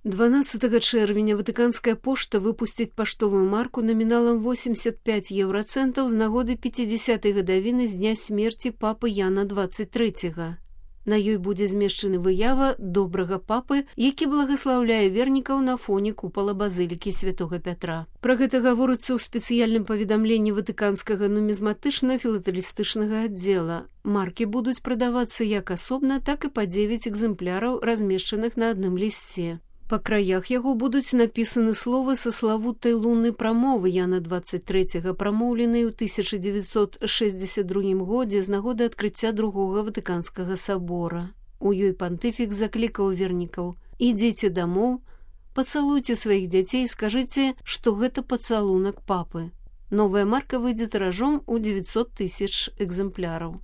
12 чэрвеня Ватыканская пошта выпусціць паштовую марку наміналам 85 еўрацэнтаў з нагоды 50-й гадавіны з дня смерці папы Яна 23-го. На ёй будзе змешчаны выява добрага папы, які благаслаўляе вернікаў на фоне купала базылікі святога Пятра. Пра гэта гаворыцца ў спецыяльным паведамленні Ватыканскага нумізматычна-філатэлістычнага аддзела. Маркі будуць прадавацца як асобна, так і па 9 экземпляраў, размешчаных на адным лісце. Па краях яго будуць напісаны словы са славутай луннай прамовы Яна 23-го, прамоўленай у 1962 годзе з нагоды адкрыцця другога Ватыканскага сабора. У ёй пантыфік заклікаў вернікаў: «Ідзіце дамоў, пацалуйце сваіх дзяцей, скажыце, што гэта пацалунак папы». Новая марка выйдзе тыражом у 900 000 экземпляраў.